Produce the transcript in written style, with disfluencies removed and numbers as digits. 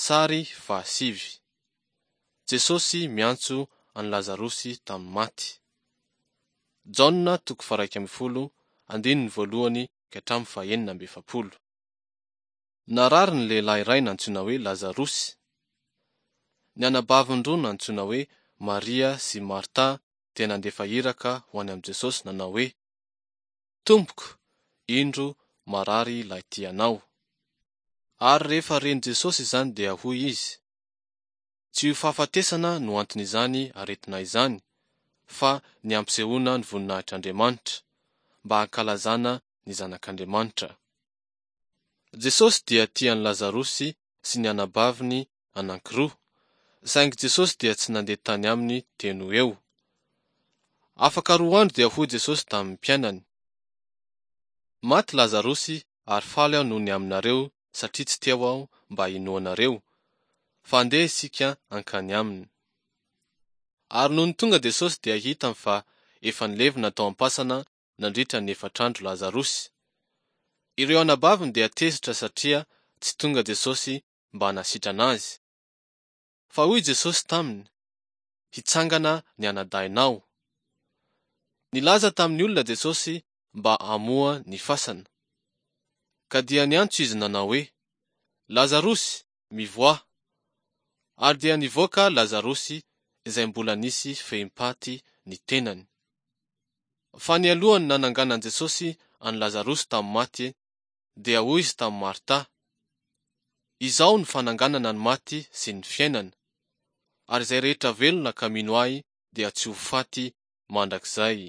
Sary fahasivy. Jesosy miantso an'i Lazarosy tamin'ny maty. Jaona toko faha-11, andininy voalohany ka hatramin'ny faha-46. Narary ny lehilahy iray nantsoina hoe Lazarosy. Ny anabaviny roa nantsoina hoe Maria sy Marta dia nandefa iraka ho any amin'i Jesosy nanao hoe, Tompoko, indro marary ilay tianao. Ary rehefa ren'i Jesosy izany dia hoy Izy, Tsy io fahafatesana no anton'izany aretina izany, fa ny hampisehoana ny voninahitr'Andriamanitra, mba hankalazana ny Zanak'Andriamanitra. Jesosy dia tia an'i Lazarosy sy ny anabaviny anankiroa, saingy Jesosy dia tsy nandeha tany aminy teo no eo. Afaka roa andro dia hoy Jesosy tamin'ny mpianany, Maty Lazarosy ary faly aho noho ny aminareo satria tsy teo aho mba hinoanareo, fa andeha isika hankany aminy. Ary nony tonga Jesosy dia hitany fa efa nilevina tao am-pasana nandritra ny efatr'andro Lazarosy. Ireo anabaviny dia tezitra satria tsy tonga Jesosy mba hanasitrana azy. Fa hoy Jesosy taminy, Hitsangana ny anadahinao. Nilaza tamin'ny olona Jesosy mba hamoha ny fasana. Ka dia niantso izy nanao hoe, Lazarosy, mivoaha! Ary dia nivoaka Lazarosy izay mbola nisy fehim-paty ny tenany. Fa nialohan'ny nananganan'i Jesosy an'i Lazarosy tamin'ny maty, dia hoy izy tamin'i Marta, Izaho no fananganana ny maty sy ny fiainana, ary izay rehetra velona ka mino Ahy dia tsy ho faty mandrakizay.